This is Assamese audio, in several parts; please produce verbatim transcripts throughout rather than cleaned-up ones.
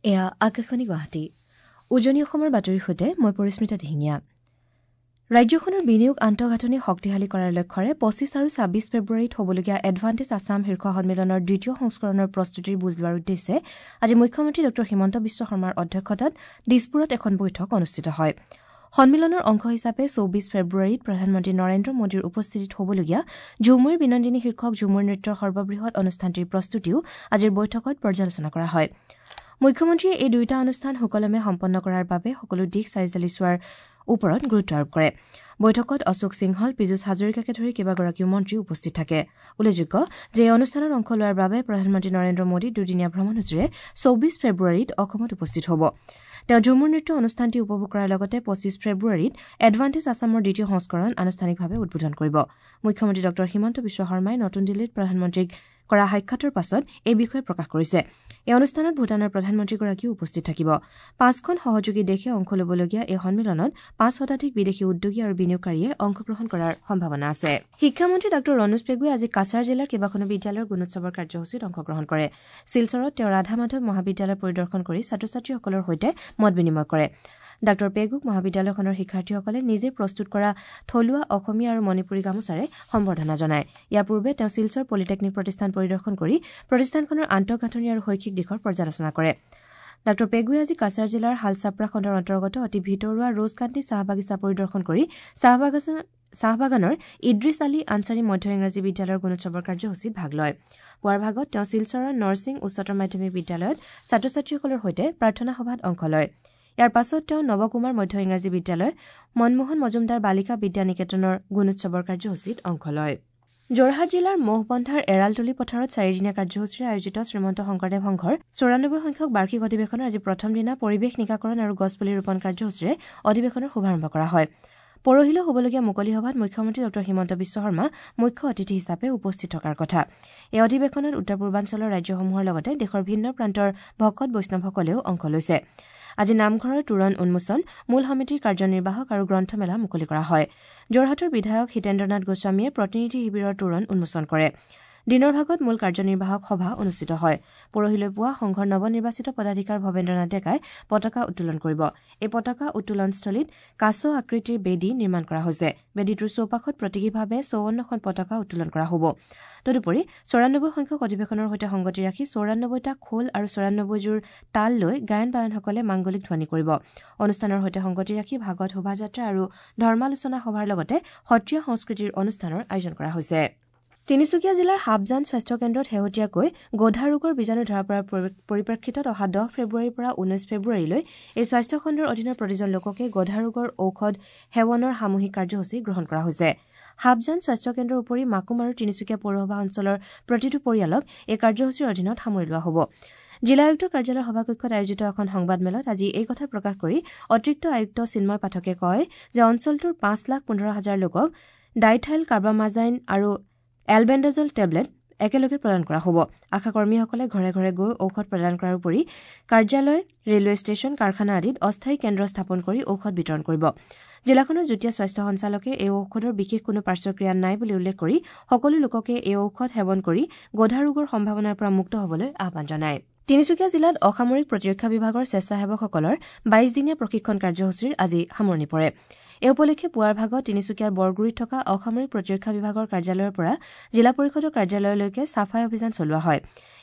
এয়া আকাশবাণী গুৱাহাটী। উজনি অসমৰ বাতৰিৰ সৈতে মই পৰিস্মিতা দিহিঙীয়া। ৰাজ্যখনৰ বিনিয়োগ আন্তঃগাঁথনি শক্তিশালী কৰাৰ লক্ষ্যৰে পঁচিছ আৰু ছাব্বিছ ফেব্ৰুৱাৰীত হ'বলগীয়া এডভান্টেজ আছাম শীৰ্ষ সন্মিলনৰ দ্বিতীয় সংস্কৰণৰ প্ৰস্তুতিৰ বুজ লোৱাৰ উদ্দেশ্যে আজি মুখ্যমন্ত্ৰী ডঃ হিমন্ত বিশ্ব শৰ্মাৰ অধ্যক্ষতাত দিছপুৰত এখন বৈঠক অনুষ্ঠিত হয়। সন্মিলনৰ অংশ হিচাপে চৌবিছ ফেব্ৰুৱাৰীত প্ৰধানমন্ত্ৰী নৰেন্দ্ৰ মোদীৰ উপস্থিতিত হ'বলগীয়া ঝুমুইৰ বিনন্দিনী শীৰ্ষক ঝুমুৰ নৃত্যৰ সৰ্ববৃহৎ অনুষ্ঠানটিৰ প্ৰস্তুতিও আজিৰ বৈঠকত পৰ্যালোচনা কৰা হয়। মুখ্যমন্ত্ৰীয়ে এই দুয়োটা অনুষ্ঠান সুকলমে সম্পন্ন কৰাৰ বাবে সকলো দিশ চালিজাৰি চোৱাৰ ওপৰত গুৰুত্ব আৰোপ কৰে। বৈঠকত অশোক সিংহল, পীযুষ হাজৰিকাকে ধৰি কেইবাগৰাকীও মন্ত্ৰী উপস্থিত থাকে। উল্লেখযোগ্য যে এই অনুষ্ঠানত অংশ লোৱাৰ বাবে প্ৰধানমন্ত্ৰী নৰেন্দ্ৰ মোদী দুদিনীয়া ভ্ৰমণসূচীৰে চৌবিছ ফেব্ৰুৱাৰীত অসমত উপস্থিত হ'ব। তেওঁ ঝুমুৰ নৃত্য অনুষ্ঠানটি উপভোগ কৰাৰ লগতে পঁচিছ ফেব্ৰুৱাৰীত এডভান্টেজ আছামৰ দ্বিতীয় সংস্কৰণ আনুষ্ঠানিকভাৱে উদ্বোধন কৰিব। মুখ্যমন্ত্ৰী ডঃ হিমন্ত বিশ্ব শৰ্মাই নতুন দিল্লীত প্ৰধানমন্ত্ৰীক কৰা সাক্ষাতৰ পাছত এই বিষয়ে প্ৰকাশ কৰিছে। এই অনুষ্ঠানত ভূটানৰ প্ৰধানমন্ত্ৰীগৰাকীও উপস্থিত থাকিব। পাঁচখন সহযোগী দেশে অংশ ল'বলগীয়া এই সন্মিলনত পাঁচ শতাধিক বিদেশী উদ্যোগী আৰু বিনিয়োগকাৰীয়ে অংশগ্ৰহণ কৰাৰ সম্ভাৱনা আছে। শিক্ষামন্ত্ৰী ডাঃ ৰণোজ পেগুৱে আজি কাছাৰ জিলাৰ কেইবাখনো বিদ্যালয়ৰ গুণোৎসৱৰ কাৰ্যসূচীত অংশগ্ৰহণ কৰে। শিলচৰত তেওঁ ৰাধা মাধৱ মহাবিদ্যালয় পৰিদৰ্শন কৰি ছাত্ৰ ছাত্ৰীসকলৰ সৈতে মত বিনিময় কৰে। ডাঃ পেগুক মহাবিদ্যালয়খনৰ শিক্ষাৰ্থীসকলে নিজে প্ৰস্তুত কৰা থলুৱা অসমীয়া আৰু মণিপুৰী গামোচাৰে সম্বৰ্ধনা জনায়। ইয়াৰ পূৰ্বে তেওঁ শিলচৰ পলিটেকনিক প্ৰতিষ্ঠান পৰিদৰ্শন কৰি প্ৰতিষ্ঠানখনৰ আন্তঃগাঁথনি আৰু শৈক্ষিক দিশৰ পৰ্যালোচনা কৰে। ডাঃ পেগুৱে আজি কাছাৰ জিলাৰ হালচাপৰা খণ্ডৰ অন্তৰ্গত অতি ভিতৰুৱা ৰোজকান্তি চাহ বাগিচা পৰিদৰ্শন কৰি চাহ বাগানৰ ইদ্ৰিছ আলী আনচাৰী মধ্য ইংৰাজী বিদ্যালয়ৰ গুণোৎসৱৰ কাৰ্যসূচীত ভাগ লয়। পুৱাৰ ভাগত তেওঁ শিলচৰৰ নৰসিং উচ্চতৰ মাধ্যমিক বিদ্যালয়ত ছাত্ৰ ছাত্ৰীসকলৰ সৈতে প্ৰাৰ্থনা সভাত অংশ লয়। ইয়াৰ পাছত তেওঁ নৱকুমাৰ মধ্য ইংৰাজী বিদ্যালয়, মনমোহন মজুমদাৰ বালিকা বিদ্যা নিকেতনৰ গুণোৎসৱৰ কাৰ্যসূচীত অংশ লয়। যোৰহাট জিলাৰ ম'হবন্ধাৰ এৰালতলী পথাৰত চাৰিদিনীয়া কাৰ্যসূচীৰে আয়োজিত শ্ৰীমন্ত শংকৰদেৱ সংঘৰ চৌৰানব্বৈ সংখ্যক বাৰ্ষিক অধিৱেশনৰ আজি প্ৰথম দিনা পৰিৱেশ নিকাকৰণ আৰু গছপুলি ৰোপণ কাৰ্যসূচীৰে অধিৱেশনৰ শুভাৰম্ভ কৰা হয়। পৰহিলৈ হ'বলগীয়া মুকলি সভাত মুখ্যমন্ত্ৰী ডঃ হিমন্ত বিশ্ব শৰ্মা মুখ্য অতিথি হিচাপে উপস্থিত থকাৰ কথা। এই অধিৱেশনত উত্তৰ পূৰ্বাঞ্চলৰ ৰাজ্যসমূহৰ লগতে দেশৰ ভিন্ন প্ৰান্তৰ ভকত বৈষ্ণৱসকলেও অংশ লৈছে। আজি নামঘৰৰ তোৰণ উন্মোচন, মূল সমিতিৰ কাৰ্যনিৰ্বাহক আৰু গ্ৰন্থমেলা মুকলি কৰা হয়। যোৰহাটৰ বিধায়ক হিতেন্দ্ৰনাথ গোস্বামীয়ে প্ৰতিনিধি শিবিৰৰ তোৰণ উন্মোচন কৰে। দিনৰ ভাগত মূল কাৰ্যনিৰ্বাহক সভা অনুষ্ঠিত হয়। পৰহিলৈ পুৱা সংঘৰ নৱনিৰ্বাচিত পদাধিকাৰ ভৱেন্দ্ৰনাথ ডেকাই পতাকা উত্তোলন কৰিব। এই পতাকা উত্তোলনস্থলীত কাছ আকৃতিৰ বেদী নিৰ্মাণ কৰা হৈছে। বেদীটোৰ চৌপাশত প্ৰতীকীভাৱে চৌৱন্নখন পতাকা উত্তোলন কৰা হ'ব। তদুপৰি চৌৰানব্বৈ সংখ্যক অধিৱেশনৰ সৈতে সংগতি ৰাখি চৌৰানব্বৈটা খোল আৰু চৌৰানব্বৈযোৰ তাল লৈ গায়ন বায়নসকলে মাংগলিক ধ্বনি কৰিব। অনুষ্ঠানৰ সৈতে সংগতি ৰাখি ভাগৱত শোভাযাত্ৰা আৰু ধৰ্মালোচনা সভাৰ লগতে সত্ৰীয়া সংস্কৃতিৰ অনুষ্ঠানৰ আয়োজন কৰা হৈছে। তিনিচুকীয়া জিলাৰ হাবজান স্বাস্থ্য কেন্দ্ৰত শেহতীয়াকৈ গোধা ৰোগৰ বীজাণু ধৰা পৰাৰ পৰিপ্ৰেক্ষিতত অহা দহ ফেব্ৰুৱাৰীৰ পৰা ঊনৈশ ফেব্ৰুৱাৰীলৈ এই স্বাস্থ্যখণ্ডৰ অধীনৰ প্ৰতিজন লোককে গোধা ৰোগৰ ঔষধ সেৱনৰ সামূহিক কাৰ্যসূচী গ্ৰহণ কৰা হৈছে। হাবজান স্বাস্থ্য কেন্দ্ৰৰ উপৰি মাকুম আৰু তিনিচুকীয়া পৌৰসভা অঞ্চলৰ প্ৰতিটো পৰিয়ালক এই কাৰ্যসূচীৰ অধীনত সামৰি লোৱা হ'ব। জিলা আয়ুক্তৰ কাৰ্যালয়ৰ সভাকক্ষত আয়োজিত এখন সংবাদমেলত আজি এই কথা প্ৰকাশ কৰি অতিৰিক্ত আয়ুক্ত চিন্ময় পাঠকে কয় যে অঞ্চলটোৰ পাঁচ লাখ পোন্ধৰ হাজাৰ লোকক ডাইথাইল কাৰ্বামাজাইন আৰু এলবেণ্ডাজল টেবলেট একেলগে প্ৰদান কৰা হ'ব। আশাকৰ্মীসকলে ঘৰে ঘৰে গৈ ঔষধ প্ৰদান কৰাৰ উপৰি কাৰ্যালয়, ৰেলৱে ষ্টেচন, কাৰখানা আদিত অস্থায়ী কেন্দ্ৰ স্থাপন কৰি ঔষধ বিতৰণ কৰিব। জিলাখনৰ যুটীয়া স্বাস্থ্য সঞ্চালকে এই ঔষধৰ বিশেষ কোনো পাৰ্শ্বক্ৰিয়া নাই বুলি উল্লেখ কৰি সকলো লোককে এই ঔষধ সেৱন কৰি গোধা ৰোগৰ সম্ভাৱনাৰ পৰা মুক্ত হ'বলৈ আহ্বান জনায়। তিনিচুকীয়া জিলাত অসামৰিক প্ৰতিৰক্ষা বিভাগৰ স্বেচ্ছাসেৱকসকলৰ বাইশ দিনীয়া প্ৰশিক্ষণ কাৰ্যসূচীৰ আজি সামৰণি পৰে। এই উপলক্ষে পুৱাৰ ভাগত তিনিচুকীয়াৰ বৰগুৰিত থকা অসামৰিক প্ৰতিৰক্ষা বিভাগৰ কাৰ্যালয়ৰ পৰা জিলা পৰিষদৰ কাৰ্যালয়লৈকে চাফাই অভিযান চলোৱা হয়।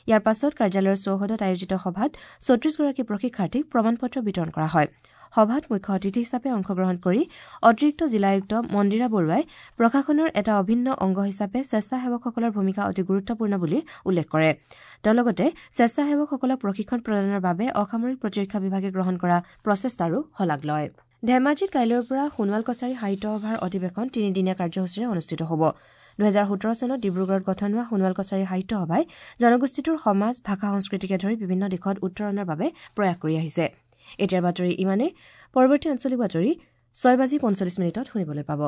ইয়াৰ পাছত কাৰ্যালয়ৰ চৌহদত আয়োজিত সভাত চৌত্ৰিশগৰাকী প্ৰশিক্ষাৰ্থীক প্ৰমাণপত্ৰ বিতৰণ কৰা হয়। সভাত মুখ্য অতিথি হিচাপে অংশগ্ৰহণ কৰি অতিৰিক্ত জিলা আয়ুক্ত মন্দিৰা বৰুৱাই প্ৰশাসনৰ এটা অভিন্ন অংগ হিচাপে স্বেচ্ছাসেৱকসকলৰ ভূমিকা অতি গুৰুত্বপূৰ্ণ বুলি উল্লেখ কৰে। তেওঁ লগতে স্বেচ্ছাসেৱকসকলক প্ৰশিক্ষণ প্ৰদানৰ বাবে অসামৰিক প্ৰতিৰক্ষা বিভাগে গ্ৰহণ কৰা প্ৰচেষ্টাৰো শলাগ লয়। ধেমাজিত কাইলৈৰ পৰা সোণোৱাল কছাৰী সাহিত্য সভাৰ অধিৱেশন তিনিদিনীয়া কাৰ্যসূচীৰে অনুষ্ঠিত হ'ব। দুহেজাৰ সোতৰ চনত ডিব্ৰুগড়ত গঠন হোৱা সোণোৱাল কছাৰী সাহিত্য সভাই জনগোষ্ঠীটোৰ সমাজ, ভাষা, সংস্কৃতিকে ধৰি বিভিন্ন দিশত উত্তৰণৰ বাবে প্ৰয়াস কৰি আহিছে। এতিয়াৰ বাতৰি ইমানেই। পৰৱৰ্তী আঞ্চলিক বাতৰি ছয় বাজি পঞ্চল্লিছ মিনিটত শুনিবলৈ পাব।